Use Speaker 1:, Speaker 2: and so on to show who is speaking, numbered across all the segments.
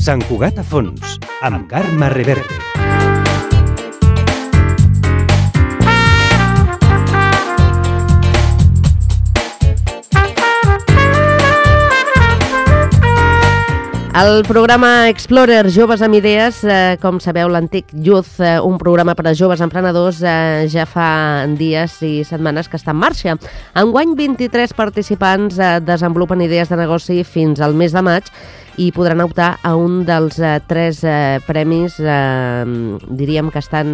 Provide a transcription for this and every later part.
Speaker 1: Sant Cugat a fons, amb Carme Reverte.
Speaker 2: El programa Explorer Joves amb Idees, com sabeu, l'antic Youth, un programa per a joves emprenedors, ja fa dies i setmanes que està en marxa. Enguany, 23 participants desenvolupen idees de negoci fins al mes de maig i podran optar a un dels 3 premis, diríem que estan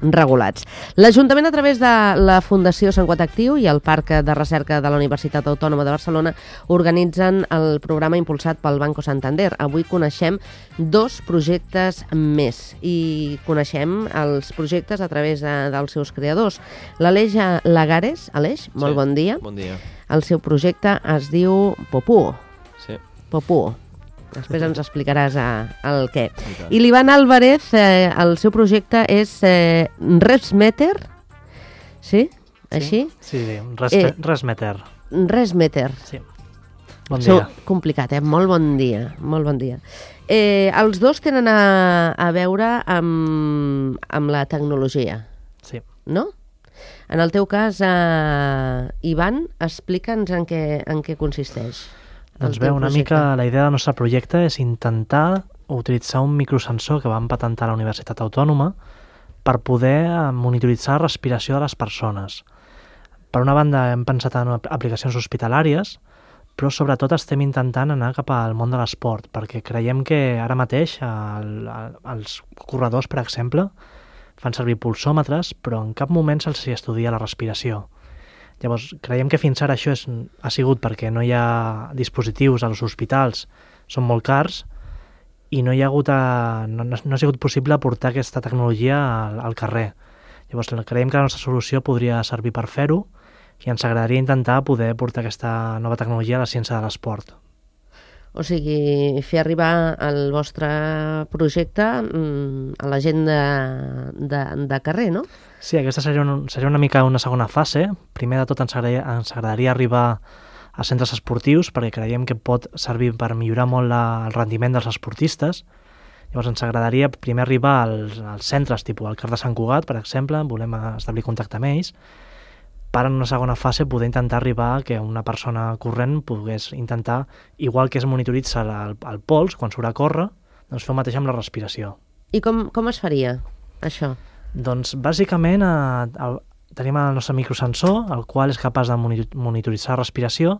Speaker 2: regulats. L'Ajuntament, a través de la Fundació Sant Cugat Actiu i el Parc de Recerca de la Universitat Autònoma de Barcelona, organitzen el programa impulsat pel Banco Santander. Avui coneixem 2 projectes més i coneixem els projectes a través dels seus creadors. L'Aleix Lagares, Aleix, molt bon dia.
Speaker 3: Bon dia.
Speaker 2: El seu projecte es diu Popú.
Speaker 3: Sí.
Speaker 2: Popú. Després ens explicaràs el què. I l'Ivan Álvarez, el seu projecte és ResMeter, sí? Així?
Speaker 4: Sí, ResMeter.
Speaker 2: ResMeter.
Speaker 4: Sí. Bon dia.
Speaker 2: Complicat, Molt bon dia. Molt bon dia. Els dos tenen a veure amb la tecnologia.
Speaker 4: Sí.
Speaker 2: No? En el teu cas, Ivan, explica'ns en què consisteix.
Speaker 4: Doncs bé, una mica la idea del nostre projecte és intentar utilitzar un microsensor que vam patentar a la Universitat Autònoma per poder monitoritzar la respiració de les persones. Per una banda, hem pensat en aplicacions hospitalàries, però sobretot estem intentant anar cap al món de l'esport, perquè creiem que ara mateix els corredors, per exemple, fan servir pulsòmetres, però en cap moment se'ls estudia la respiració. Llavors, creiem que fins ara això ha sigut perquè no hi ha dispositius als hospitals, són molt cars, i no ha sigut possible portar aquesta tecnologia al carrer. Llavors, creiem que la nostra solució podria servir per fer-ho, i ens agradaria intentar poder portar aquesta nova tecnologia a la ciència de l'esport.
Speaker 2: O sigui, fer arribar el vostre projecte a la gent de carrer, no?
Speaker 4: Sí, aquesta seria una mica una segona fase. Primer de tot ens agradaria arribar a centres esportius perquè creiem que pot servir per millorar molt el rendiment dels esportistes. Llavors ens agradaria primer arribar als centres, tipus el CAR de Sant Cugat, per exemple, volem establir contacte amb ells, per en una segona fase poder intentar arribar que una persona corrent pogués intentar, igual que es monitoritza el pols quan surt a córrer, doncs fer el mateix amb la respiració.
Speaker 2: I com es faria, això?
Speaker 4: Doncs bàsicament tenim el nostre microsensor, el qual és capaç de monitoritzar la respiració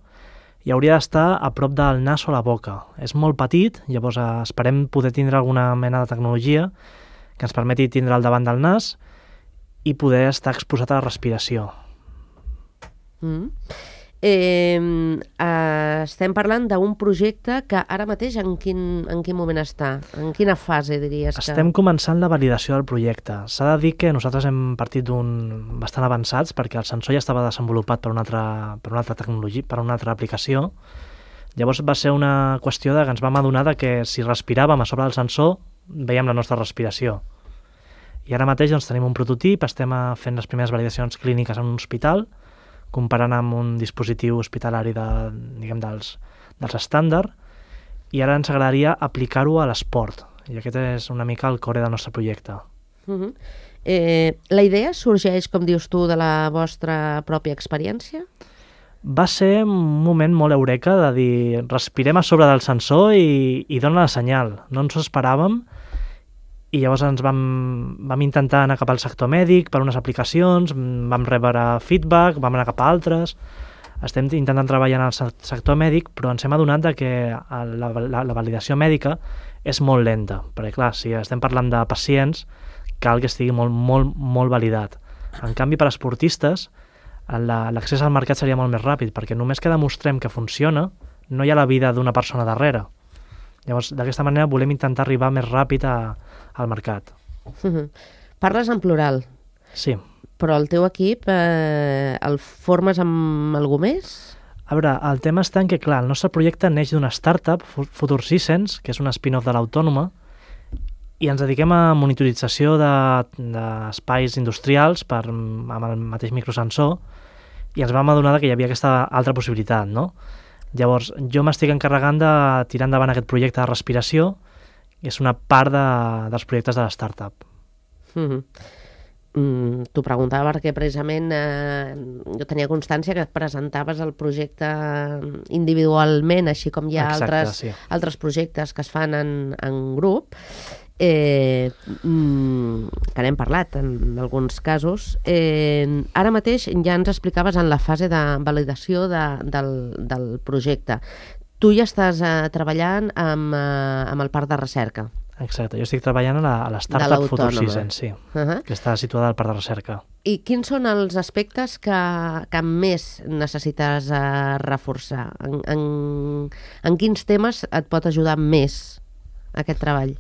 Speaker 4: i hauria d'estar a prop del nas o la boca. És molt petit, llavors esperem poder tindre alguna mena de tecnologia que ens permeti tindre al davant del nas i poder estar exposat a la respiració.
Speaker 2: Estem parlant d'un projecte que ara mateix en quin moment està? En quina fase diries que...
Speaker 4: Estem començant la validació del projecte. S'ha de dir que nosaltres hem partit d'un bastant avançats perquè el sensor ja estava desenvolupat per una altra tecnologia, per una altra aplicació. Llavors va ser una qüestió que ens vam adonar que si respiràvem a sobre del sensor veiem la nostra respiració. I ara mateix doncs, tenim un prototip, estem fent les primeres validacions clíniques en un hospital, comparant amb un dispositiu hospitalari dels estàndard, i ara ens agradaria aplicar-ho a l'esport, i aquest és una mica el core del nostre projecte.
Speaker 2: La idea sorgeix, com dius tu, de la vostra pròpia experiència?
Speaker 4: Va ser un moment molt eureka de dir, respirem a sobre del sensor i dona la senyal, no ens ho esperàvem, i llavors ens vam intentar anar cap al sector mèdic per unes aplicacions, vam rebre feedback, vam anar cap a altres, estem intentant treballar en el sector mèdic, però ens hem adonat que la validació mèdica és molt lenta, perquè clar, si estem parlant de pacients, cal que estigui molt validat. En canvi, per a esportistes, l'accés al mercat seria molt més ràpid, perquè només que demostrem que funciona, no hi ha la vida d'una persona darrere. Llavors, d'aquesta manera volem intentar arribar més ràpid al mercat.
Speaker 2: Parles en plural.
Speaker 4: Sí.
Speaker 2: Però el teu equip el formes amb algú més?
Speaker 4: A veure, el tema està en que, clar, el nostre projecte neix d'una startup, Future Seasons, que és un spin-off de l'Autònoma, i ens dediquem a monitorització d'espais industrials amb el mateix microsensor, i ens vam adonar que hi havia aquesta altra possibilitat, no? Llavors, jo m'estic encarregant de tirar endavant aquest projecte de respiració, i és una part dels projectes de la startup.
Speaker 2: T'ho preguntava perquè precisament jo tenia constància que presentaves el projecte individualment, així com hi ha altres projectes que es fan en grup, que n'hem parlat en alguns casos. Ara mateix ja ens explicaves en la fase de validació del projecte. Tu ja estàs treballant amb el parc de recerca.
Speaker 4: Exacte, jo estic treballant a la startup Futuroxigen, sí, que està situada al parc de recerca.
Speaker 2: I quins són els aspectes que més necessites reforçar? En quins temes et pot ajudar més aquest treball?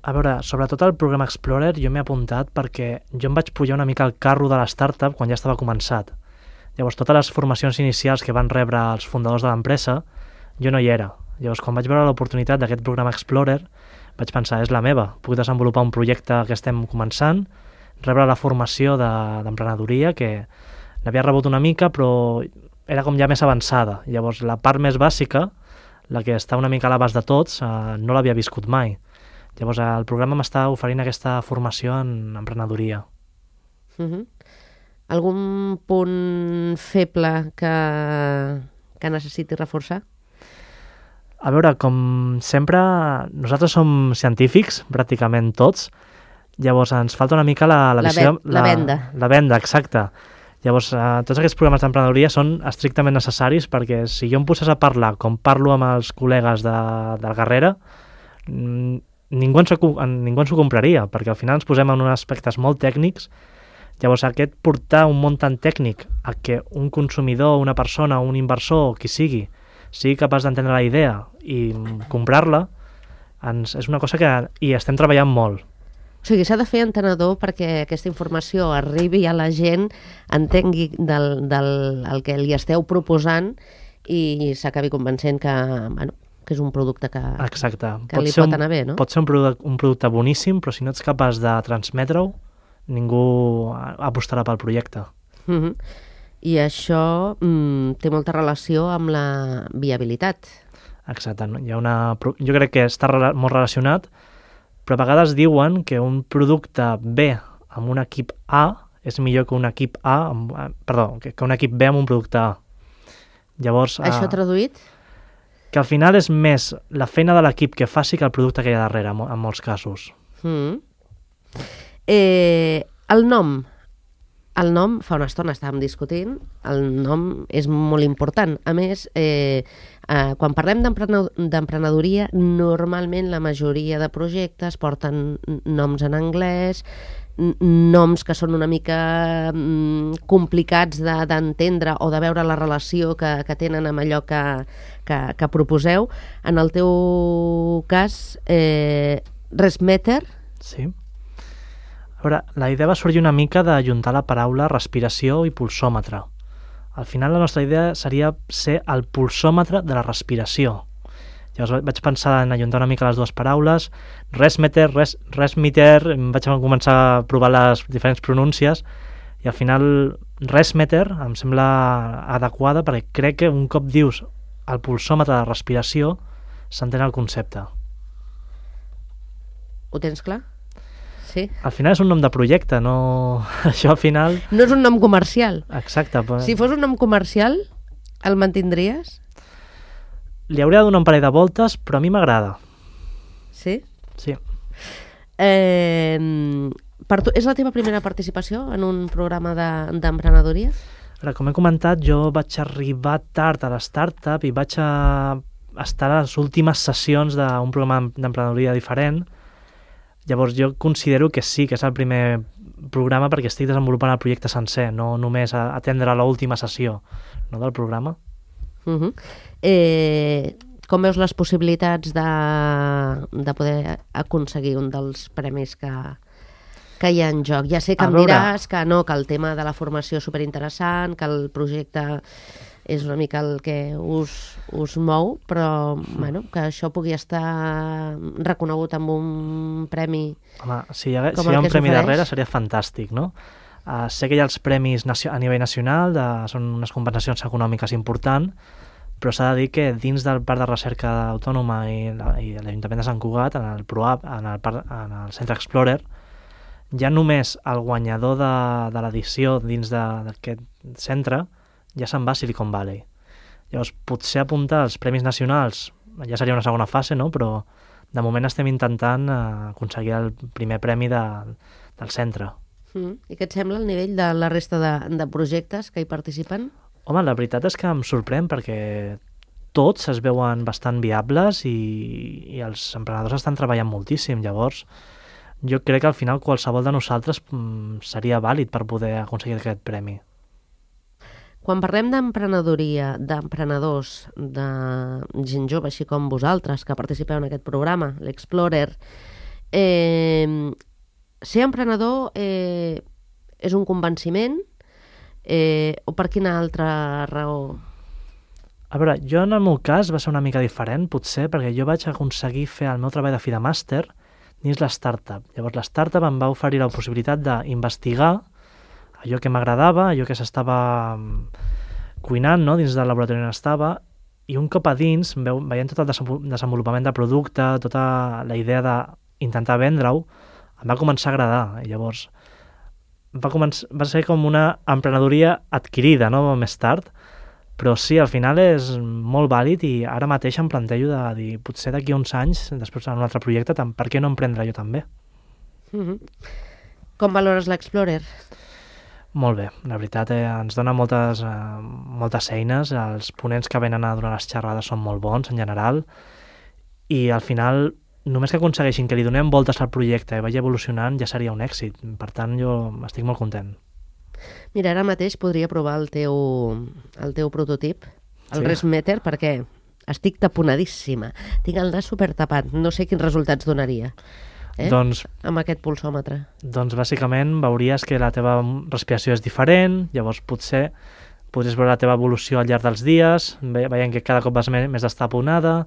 Speaker 4: A veure, sobretot el programa Explorer jo m'he apuntat perquè jo em vaig pujar una mica al carro de la startup quan ja estava començat. Llavors, totes les formacions inicials que van rebre els fundadors de l'empresa, jo no hi era. Llavors, quan vaig veure l'oportunitat d'aquest programa Explorer, vaig pensar, és la meva, puc desenvolupar un projecte que estem començant, rebre la formació d'emprenedoria, que n'havia rebut una mica, però era com ja més avançada. Llavors, la part més bàsica, la que està una mica a l'abast de tots, no l'havia viscut mai. Llavors, el programa m'està oferint aquesta formació en emprenedoria.
Speaker 2: Algun punt feble que necessiti reforçar?
Speaker 4: A veure, com sempre, nosaltres som científics, pràcticament tots, llavors ens falta una mica la visió...
Speaker 2: La venda.
Speaker 4: La venda, exacte. Llavors, tots aquests programes d'emprenedoria són estrictament necessaris perquè si jo em posés a parlar com parlo amb els col·legues de Garrera, ningú ens ho compraria, perquè al final ens posem en uns aspectes molt tècnics. Llavors, aquest portar un món tan tècnic a que un consumidor, una persona, un inversor, qui sigui capaç d'entendre la idea i comprar-la, és una cosa que hi estem treballant molt.
Speaker 2: O sigui, s'ha de fer entenedor perquè aquesta informació arribi a la gent, entengui el que li esteu proposant i s'acabi convencent que és un producte que li pot anar bé, no?
Speaker 4: Pot ser un producte boníssim, però si no ets capaç de transmetre-ho, ningú apostarà pel projecte.
Speaker 2: I això té molta relació amb la viabilitat.
Speaker 4: Exacte. Jo crec que està molt relacionat, però a vegades diuen que un producte B amb un equip A és millor que un equip que un equip B amb un producte A. Llavors,
Speaker 2: això traduït?
Speaker 4: Que al final és més la feina de l'equip que faci que el producte que hi ha darrere, en molts casos.
Speaker 2: El nom, fa una estona estàvem discutint, el nom és molt important. A més, quan parlem d'emprenedoria, normalment la majoria de projectes porten noms en anglès, noms que són una mica complicats d'entendre o de veure la relació que tenen amb allò que proposeu. En el teu cas, ResMeter?
Speaker 4: Sí. A veure, la idea va sorgir una mica d'ajuntar la paraula respiració i pulsòmetre. Al final la nostra idea seria ser el pulsòmetre de la respiració. Llavors vaig pensar en ajuntar una mica les dues paraules, ResMeter, vaig començar a provar les diferents pronúncies i al final ResMeter em sembla adequada perquè crec que un cop dius el pulsòmetre de respiració s'entén el concepte.
Speaker 2: Ho tens clar? Sí.
Speaker 4: Al final és un nom de projecte, no... Això al final...
Speaker 2: No és un nom comercial.
Speaker 4: Exacte.
Speaker 2: Si fos un nom comercial, el mantindries?
Speaker 4: Li hauria de donar un parell de voltes, però a mi m'agrada.
Speaker 2: Sí?
Speaker 4: Sí.
Speaker 2: És la teva primera participació en un programa d'emprenedoria?
Speaker 4: Com he comentat, jo vaig arribar tard a la startup i vaig estar a les últimes sessions d'un programa d'emprenedoria diferent. Llavors jo considero que sí, que és el primer programa perquè estic desenvolupant el projecte sencer, no només atendre l'última sessió del programa.
Speaker 2: Com veus les possibilitats de poder aconseguir un dels premis que hi ha en joc? Ja sé que em diràs que el tema de la formació és superinteressant, que el projecte és una mica el que us mou, però que això pugui estar reconegut amb un premi.
Speaker 4: Home, si hi ha un premi darrere seria fantàstic, no? Sé que hi ha els premis a nivell nacional, són unes compensacions econòmiques importants, però s'ha de dir que dins del Parc de Recerca Autònoma i l'Ajuntament de Sant Cugat, en el ProApp, en el Centre Explorer, ja només el guanyador de l'edició dins d'aquest centre ja se'n va a Silicon Valley. Llavors, potser apuntar als Premis Nacionals ja seria una segona fase, no? Però de moment estem intentant aconseguir el primer premi del centre.
Speaker 2: I què et sembla el nivell de la resta de projectes que hi participen?
Speaker 4: Home, la veritat és que em sorprèn perquè tots es veuen bastant viables i els emprenedors estan treballant moltíssim. Llavors, jo crec que al final qualsevol de nosaltres seria vàlid per poder aconseguir aquest premi.
Speaker 2: Quan parlem d'emprenedoria, d'emprenedors, de gent jove, així com vosaltres, que participeu en aquest programa, l'Explorer, ser emprenedor és un convenciment o per quina altra raó?
Speaker 4: A veure, jo en el meu cas va ser una mica diferent, potser, perquè jo vaig aconseguir fer el meu treball de fi de màster dins l'startup. Llavors, l'startup em va oferir la possibilitat d'investigar allò que m'agradava, allò que s'estava cuinant, no?, dins del laboratori on estava, i un cop a dins, veient tot el desenvolupament de producte, tota la idea d'intentar vendre-ho, em va començar a agradar. I llavors va ser com una emprenedoria adquirida, no?, més tard, però sí, al final és molt vàlid i ara mateix em plantejo de dir, potser d'aquí uns anys, després en un altre projecte, per què no emprendre jo també?
Speaker 2: Com valores l'Explorer?
Speaker 4: Molt bé, la veritat ens dona moltes eines, els ponents que venen a donar les xerrades són molt bons en general i al final només que aconsegueixin que li donem voltes al projecte i vagi evolucionant ja seria un èxit, per tant jo estic molt content.
Speaker 2: Mira, ara mateix podria provar el teu prototip, el Resmeter, perquè estic taponadíssima, tinc el nas supertapat, no sé quins resultats donaria.
Speaker 4: Doncs,
Speaker 2: amb aquest pulsòmetre? Doncs
Speaker 4: bàsicament veuries que la teva respiració és diferent, llavors potser podries veure la teva evolució al llarg dels dies, veient que cada cop vas més destaponada,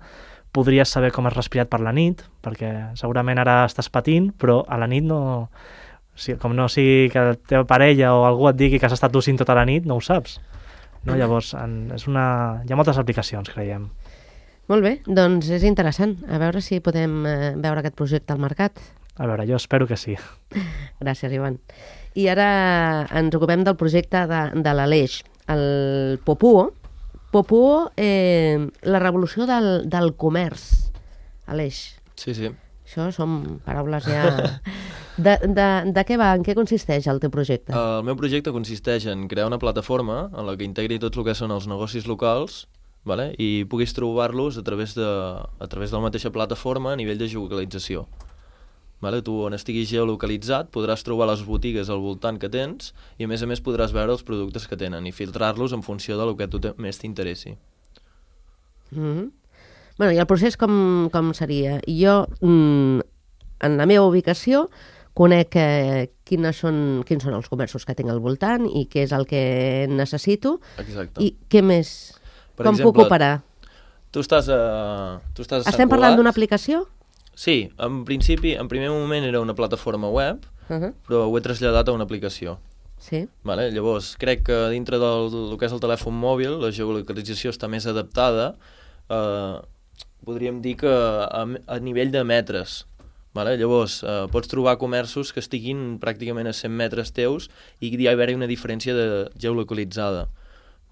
Speaker 4: podries saber com has respirat per la nit, perquè segurament ara estàs patint, però a la nit no... Com no sigui que la teva parella o algú et digui que has estat tossint tota la nit, no ho saps. No? Llavors, hi ha moltes aplicacions, creiem.
Speaker 2: Molt bé, doncs és interessant. A veure si podem veure aquest projecte al mercat.
Speaker 4: A veure, jo espero que sí.
Speaker 2: Gràcies, Ivan. I ara ens ocupem del projecte de l'Aleix, el Popuo. Popuo, la revolució del comerç. Aleix.
Speaker 3: Sí, sí.
Speaker 2: Això són paraules ja... De què va? En què consisteix el teu projecte?
Speaker 3: El meu projecte consisteix en crear una plataforma en la que integri tots el que són els negocis locals, vale? I puguis trobar-los a través de la mateixa plataforma a nivell de geolocalització. Vale? Tu, on estiguis geolocalitzat, podràs trobar les botigues al voltant que tens i, a més, podràs veure els productes que tenen i filtrar-los en funció del que a tu més t'interessi.
Speaker 2: Bueno, i el procés com seria? Jo, en la meva ubicació, conec quins són els comerços que tinc al voltant i què és el que necessito.
Speaker 3: Exacte.
Speaker 2: I què més? Com puc operar?
Speaker 3: Tu estàs a Sant Cugat.
Speaker 2: Estem parlant d'una aplicació?
Speaker 3: Sí, en principi, en primer moment era una plataforma web, però ho he traslladat a una aplicació.
Speaker 2: Sí.
Speaker 3: Vale? Llavors, crec que dintre del que és el telèfon mòbil, la geolocalització està més adaptada, podríem dir que a nivell de metres. Vale? Llavors, pots trobar comerços que estiguin pràcticament a 100 metres teus i hi ha d'haver una diferència de geolocalitzada.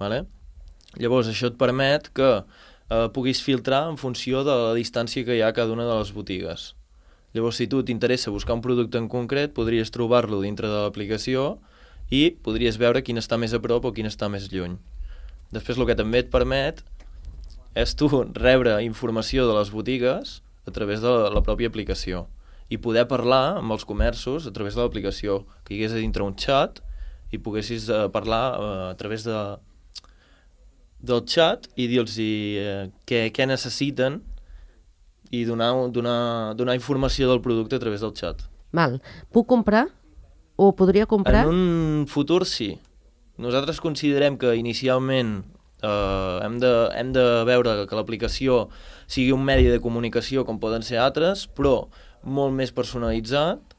Speaker 3: Vale? Llavors, això et permet que puguis filtrar en funció de la distància que hi ha a cada una de les botigues. Llavors, si tu t'interessa buscar un producte en concret, podries trobar-lo dintre de l'aplicació i podries veure quin està més a prop o quin està més lluny. Després, el que també et permet és tu rebre informació de les botigues a través de la pròpia aplicació i poder parlar amb els comerços a través de l'aplicació, que hi hagués a dintre un xat i poguessis parlar a través del xat i dir-los què necessiten i donar informació del producte a través del xat.
Speaker 2: Val. Puc comprar? O podria comprar?
Speaker 3: En un futur sí. Nosaltres considerem que inicialment hem de veure que l'aplicació sigui un medi de comunicació com poden ser altres, però molt més personalitzat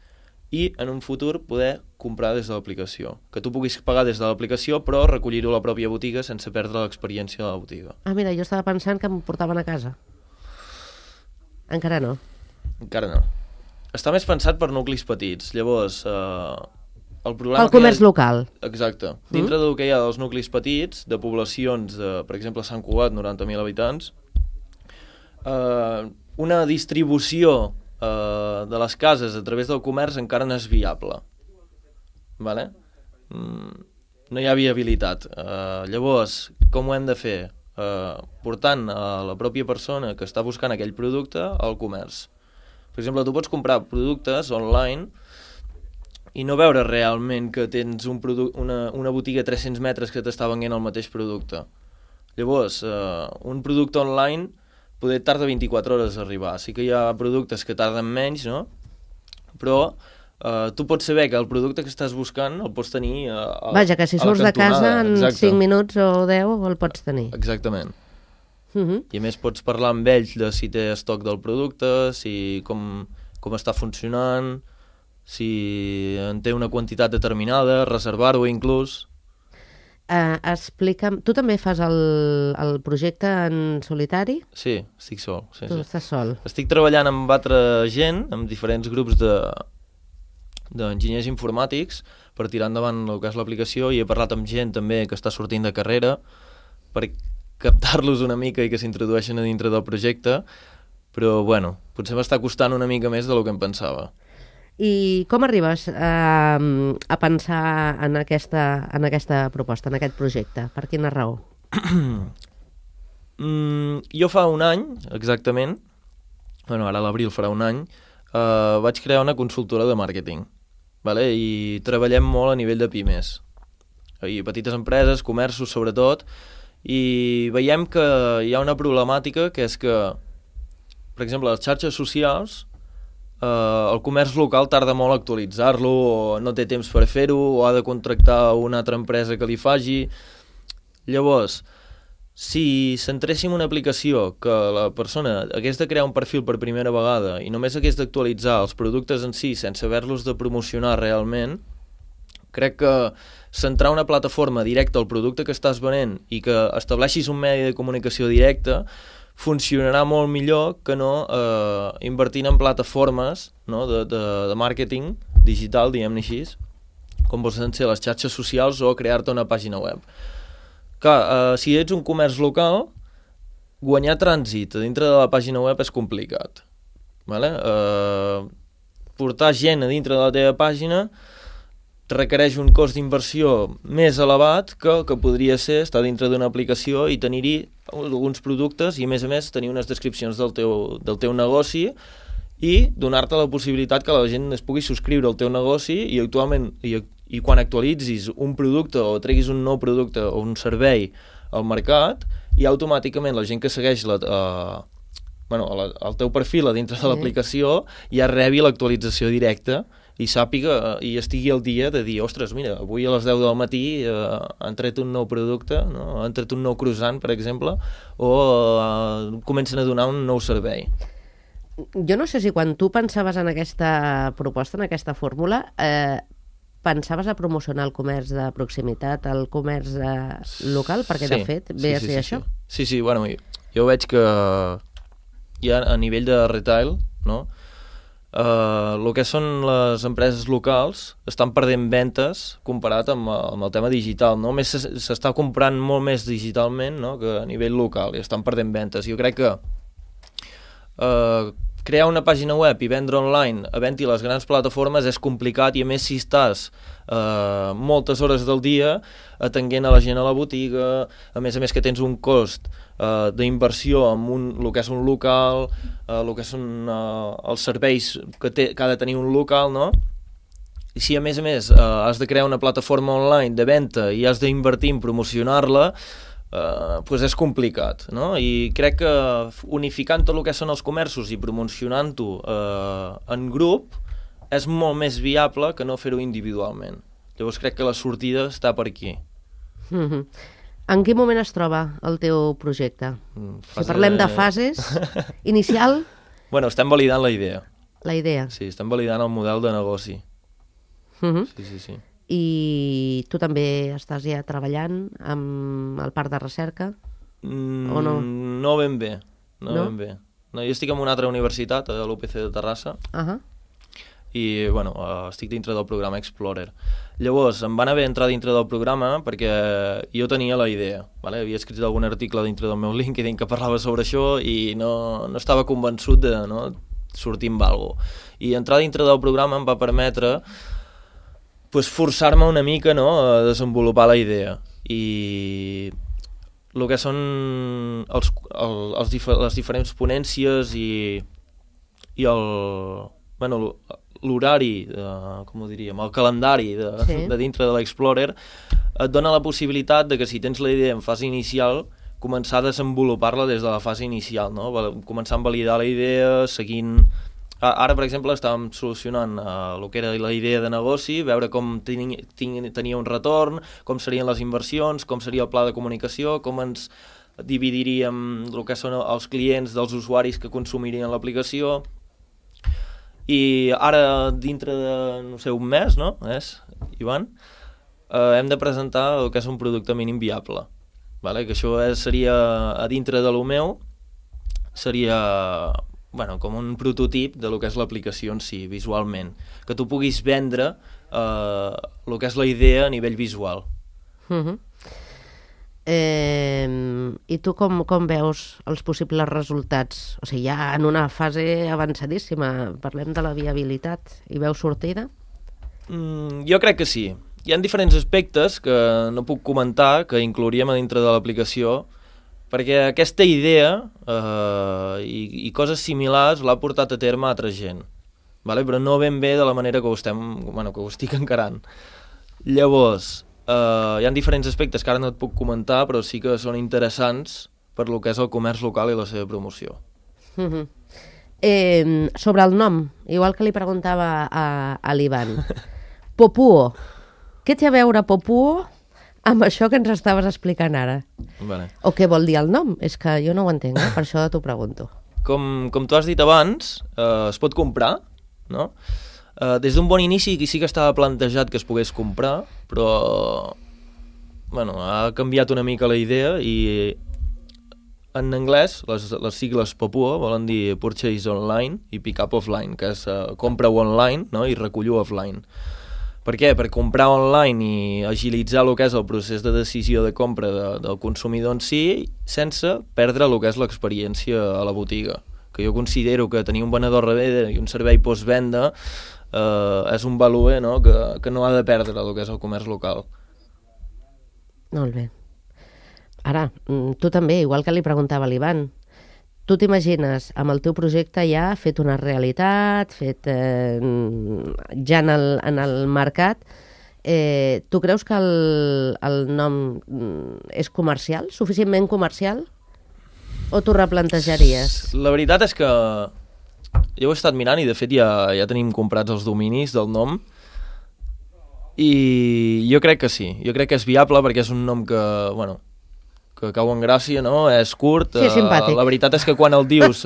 Speaker 3: i en un futur poder comprar des de l'aplicació. Que tu puguis pagar des de l'aplicació però recollir-ho a la pròpia botiga sense perdre l'experiència de la botiga.
Speaker 2: Ah, mira, jo estava pensant que em portaven a casa. Encara no.
Speaker 3: Encara no. Està més pensat per nuclis petits. Llavors, el problema...
Speaker 2: El comerç local.
Speaker 3: Exacte. Dintre del que hi ha dels nuclis petits, de poblacions de, per exemple, Sant Cugat, 90.000 habitants, una distribució de les cases a través del comerç encara no és viable. Vale? No hi ha viabilitat. Llavors, com ho hem de fer? Portant a la pròpia persona que està buscant aquell producte al comerç. Per exemple, tu pots comprar productes online i no veure realment que tens una botiga a 300 metres que t'està venent el mateix producte. Llavors, un producte online poder tarda 24 hores a arribar. Sí que hi ha productes que tarden menys, no? Però tu pots saber que el producte que estàs buscant el pots tenir a la cantonada.
Speaker 2: Vaja, que si surts de casa en
Speaker 3: Exacte.
Speaker 2: 5 minuts o 10 el pots tenir.
Speaker 3: Exactament. I a més pots parlar amb ells de si té estoc del producte, si com està funcionant, si en té una quantitat determinada, reservar-ho inclús.
Speaker 2: Explica'm, tu també fas el projecte en solitari?
Speaker 3: Sí, estic sol. Sí,
Speaker 2: Tu
Speaker 3: sí.
Speaker 2: estàs sol.
Speaker 3: Estic treballant amb altra gent, amb diferents grups d'enginyers informàtics per tirar endavant el que és l'aplicació, i he parlat amb gent també que està sortint de carrera per captar-los una mica i que s'introdueixen a dintre del projecte, però bueno, potser m'està costant una mica més del que em pensava.
Speaker 2: I com arribes a pensar en aquesta proposta, en aquest projecte? Per quina raó?
Speaker 3: Jo fa un any, exactament, bueno, ara a l'abril farà un any, vaig crear una consultora de màrqueting, vale? I treballem molt a nivell de pimes, i petites empreses, comerços sobretot, i veiem que hi ha una problemàtica que és que, per exemple, les xarxes socials, el comerç local tarda molt a actualitzar-lo, o no té temps per fer-ho, o ha de contractar una altra empresa que li faci. Llavors, si centréssim una aplicació que la persona hagués de crear un perfil per primera vegada i només hagués d'actualitzar els productes en si sense haver-los de promocionar realment, crec que centrar una plataforma directa al producte que estàs venent i que estableixis un medi de comunicació directe funcionarà molt millor que no invertint en plataformes, no, de màrqueting digital, diguem-ne així, com poden ser les xarxes socials o crear-te una pàgina web. Clar, si ets un comerç local, guanyar trànsit a dintre de la pàgina web és complicat. Vale? Portar gent a dintre de la teva pàgina requereix un cost d'inversió més elevat que el que podria ser estar dintre d'una aplicació i tenir-hi alguns productes i, a més, tenir unes descripcions del teu negoci i donar-te la possibilitat que la gent es pugui subscriure al teu negoci i quan actualitzis un producte o treguis un nou producte o un servei al mercat, i automàticament la gent que segueix el teu perfil a dintre de l'aplicació ja rebi l'actualització directa i sàpiga i estigui al dia de dir, ostres, mira, avui a les 10 del matí han tret un nou producte, no? Han tret un nou croissant, per exemple, o comencen a donar un nou servei.
Speaker 2: Jo no sé si quan tu pensaves en aquesta proposta, en aquesta fórmula, pensaves a promocionar el comerç de proximitat, el comerç local, perquè de fet ve a ser això?
Speaker 3: Sí, bueno, jo veig que ja a nivell de retail, no? El que són les empreses locals estan perdent ventes comparat amb el tema digital, no? Més s'està comprant molt més digitalment, no?, que a nivell local, i estan perdent ventes. Jo crec que crear una pàgina web i vendre online havent-hi les grans plataformes és complicat, i a més si estàs moltes hores del dia atenguent a la gent a la botiga, a més que tens un cost d'inversió en el que és un local, el que són els serveis que ha de tenir un local, no? I si a més has de crear una plataforma online de venda i has d'invertir en promocionar-la, doncs és complicat, no? I crec que unificant tot el que són els comerços i promocionant-ho en grup és molt més viable que no fer-ho individualment. Llavors crec que la sortida està per aquí.
Speaker 2: En quin moment es troba el teu projecte? Si parlem de fases, inicial?
Speaker 3: Bueno, estem validant la idea.
Speaker 2: La idea.
Speaker 3: Sí, estem validant el model de negoci. Sí.
Speaker 2: I tu també estàs ja treballant amb el parc de recerca? O no?
Speaker 3: No ben bé.
Speaker 2: No?
Speaker 3: Ben bé. No, jo estic en una altra universitat, a l'UPC de Terrassa, i bueno, estic dintre del programa Explorer. Llavors, em van haver entrar dintre del programa perquè jo tenia la idea, vale? Havia escrit algun article dintre del meu LinkedIn que parlava sobre això i no estava convençut de sortir amb alguna cosa. I entrar dintre del programa em va permetre forçar-me una mica a desenvolupar la idea. I el que són les diferents ponències i l'horari, com ho diríem, el calendari de dintre de l'Explorer et dona la possibilitat de que si tens la idea en fase inicial, començar a desenvolupar-la des de la fase inicial, no? Començar a validar la idea, seguint... Ara, per exemple, estàvem solucionant el que era la idea de negoci, veure com tenia un retorn, com serien les inversions, com seria el pla de comunicació, com ens dividiríem el que són els clients dels usuaris que consumirien l'aplicació. I ara, dintre de, no sé, un mes, no? Ivan? Hem de presentar el que és un producte mínim viable. Vale? Que això seria, a dintre de lo meu, seria... com un prototip de lo que és l'aplicació en si, visualment. Que tu puguis vendre el que és la idea a nivell visual.
Speaker 2: I tu com veus els possibles resultats? O sigui, ja en una fase avançadíssima, parlem de la viabilitat, i veus sortida?
Speaker 3: Jo crec que sí. Hi ha diferents aspectes que no puc comentar, que inclouríem a dintre de l'aplicació, perquè aquesta idea i coses similars l'ha portat a terme altra gent, vale? Però no ben bé de la manera que ho estic encarant. Llavors, hi ha diferents aspectes que ara no et puc comentar, però sí que són interessants per lo que és el comerç local i la seva promoció.
Speaker 2: Sobre el nom, igual que li preguntava a l'Ivan, Popuo, què té a veure Popuo amb això que ens estaves explicant ara?
Speaker 3: Vale.
Speaker 2: O què vol dir el nom? És que jo no ho entenc, per això t'ho pregunto.
Speaker 3: Com tu has dit abans, es pot comprar, no? Des d'un bon inici sí que estava plantejat que es pogués comprar, però ha canviat una mica la idea i en anglès les sigles Popuo volen dir Purchase Online i Pick Up Offline, que és compra-ho online, no? I recollo offline. Per què? Per comprar online i agilitzar el que és el procés de decisió de compra del consumidor en si, sense perdre el que és l'experiència a la botiga. Que jo considero que tenir un venedor darrere i un servei postvenda és un valor que no ha de perdre el que és el comerç local.
Speaker 2: Molt bé. Ara, tu també, igual que li preguntava a l'Ivan, tu t'imagines amb el teu projecte ja fet una realitat, fet ja en el mercat, tu creus que el nom és comercial, suficientment comercial, o t'ho replantejaries?
Speaker 3: La veritat és que jo ho he estat mirant i de fet ja tenim comprats els dominis del nom i jo crec que sí, jo crec que és viable perquè és un nom que cau en gràcia, no? És curt.
Speaker 2: Sí, simpàtic.
Speaker 3: La veritat és que quan el dius,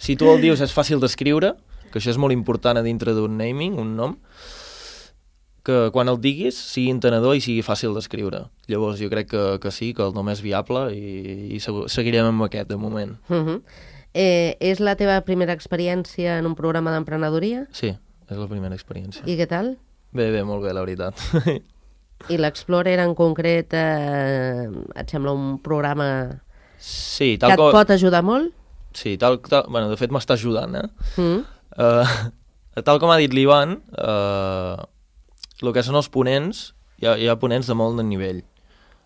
Speaker 3: si tu el dius és fàcil d'escriure, que això és molt important a dintre d'un naming, un nom, que quan el diguis sigui entenedor i sigui fàcil d'escriure. Llavors jo crec que sí, que el nom és viable i seguirem amb aquest de moment.
Speaker 2: És la teva primera experiència en un programa d'emprenedoria?
Speaker 3: Sí, és la primera experiència.
Speaker 2: I què tal?
Speaker 3: Bé, molt bé, la veritat.
Speaker 2: I l'Explorer en concret et sembla un programa que et pot ajudar molt?
Speaker 3: Sí, de fet m'està ajudant. Tal com ha dit l'Ivan, el que són els ponents, hi ha ponents de molt de nivell.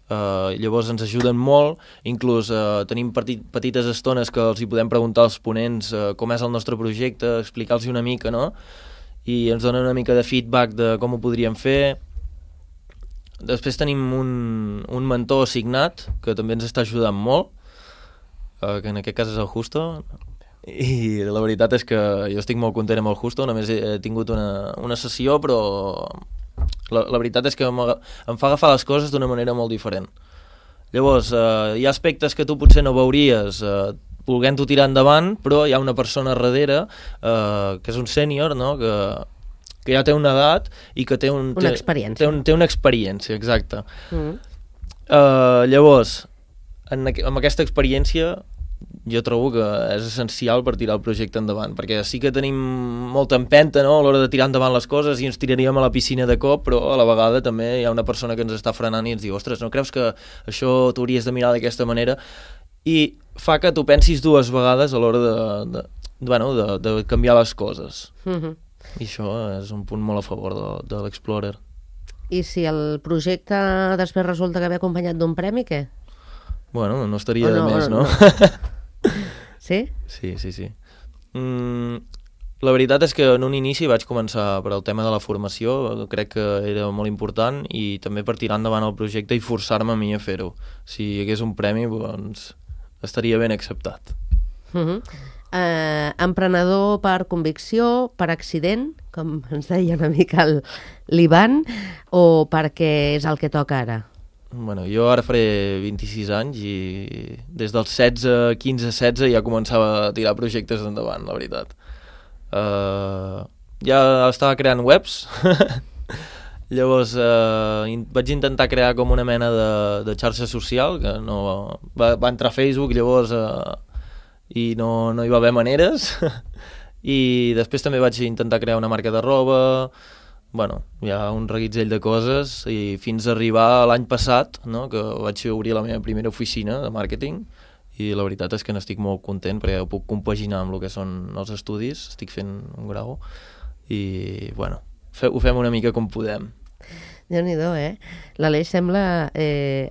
Speaker 3: Llavors ens ajuden molt, inclús tenim petites estones que els hi podem preguntar als ponents com és el nostre projecte, explicar-los una mica, no? I ens donen una mica de feedback de com ho podríem fer. Després tenim un mentor assignat que també ens està ajudant molt, que en aquest cas és el Justo, i la veritat és que jo estic molt content amb el Justo, només he tingut una sessió, però la veritat és que em fa agafar les coses d'una manera molt diferent. Llavors, hi ha aspectes que tu potser no veuries volent-ho tirar endavant, però hi ha una persona darrere, que és un sènior, no? que que ja té una edat i que té
Speaker 2: Una experiència.
Speaker 3: Té una experiència, exacte. Llavors, amb aquesta experiència jo trobo que és essencial per tirar el projecte endavant, perquè sí que tenim molta empenta, no?, a l'hora de tirar endavant les coses i ens tiraríem a la piscina de cop, però a la vegada també hi ha una persona que ens està frenant i ens diu, ostres, no creus que això t'hauries de mirar d'aquesta manera? I fa que tu pensis dues vegades a l'hora de canviar les coses. I això és un punt molt a favor de l'Explorer.
Speaker 2: I si el projecte després resulta que ve acompanyat d'un premi, què?
Speaker 3: Bueno, no estaria de més, no?
Speaker 2: Sí?
Speaker 3: Sí. La veritat és que en un inici vaig començar per al tema de la formació, crec que era molt important, i també per tirar endavant el projecte i forçar-me a mi a fer-ho. Si hi hagués un premi, doncs estaria ben acceptat.
Speaker 2: Emprenedor per convicció, per accident, com ens deia una mica l'Ivan, o perquè és el que toca ara?
Speaker 3: Bueno, jo ara faré 26 anys i des dels 16, 15, 16 ja començava a tirar projectes endavant, la veritat. Ja estava creant webs, llavors vaig intentar crear com una mena de xarxa social, que no va entrar a Facebook llavors i no hi va haver maneres, i després també vaig intentar crear una marca de roba. Bueno, hi ha un reguitzell de coses i fins a arribar l'any passat, no?, que vaig obrir la meva primera oficina de màrqueting, i la veritat és que n'estic molt content perquè ho puc compaginar amb el que són els estudis, estic fent un grau i, bueno, ho fem una mica com podem.
Speaker 2: Déu-n'hi-do, L'Aleix sembla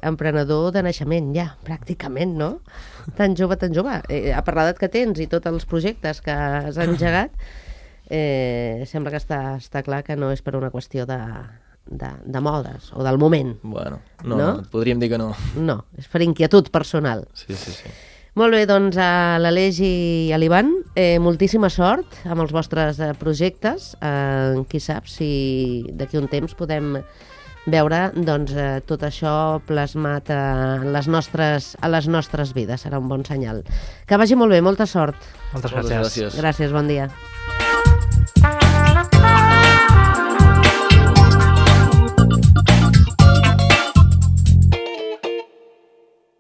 Speaker 2: emprenedor de naixement ja, pràcticament, no? Tan jove. A part l'edat que tens i tots els projectes que has engegat, sembla que està clar que no és per una qüestió de modes o del moment.
Speaker 3: Bueno, no? Podríem dir que no. No,
Speaker 2: és per inquietud personal.
Speaker 3: Sí.
Speaker 2: Molt bé, doncs a l'Aleix i a l'Ivan, moltíssima sort amb els vostres projectes. Qui sap si d'aquí un temps podem veure doncs, tot això plasmat a les nostres vides. Serà un bon senyal. Que vagi molt bé, molta sort.
Speaker 4: Moltes gràcies.
Speaker 2: Gràcies, bon dia.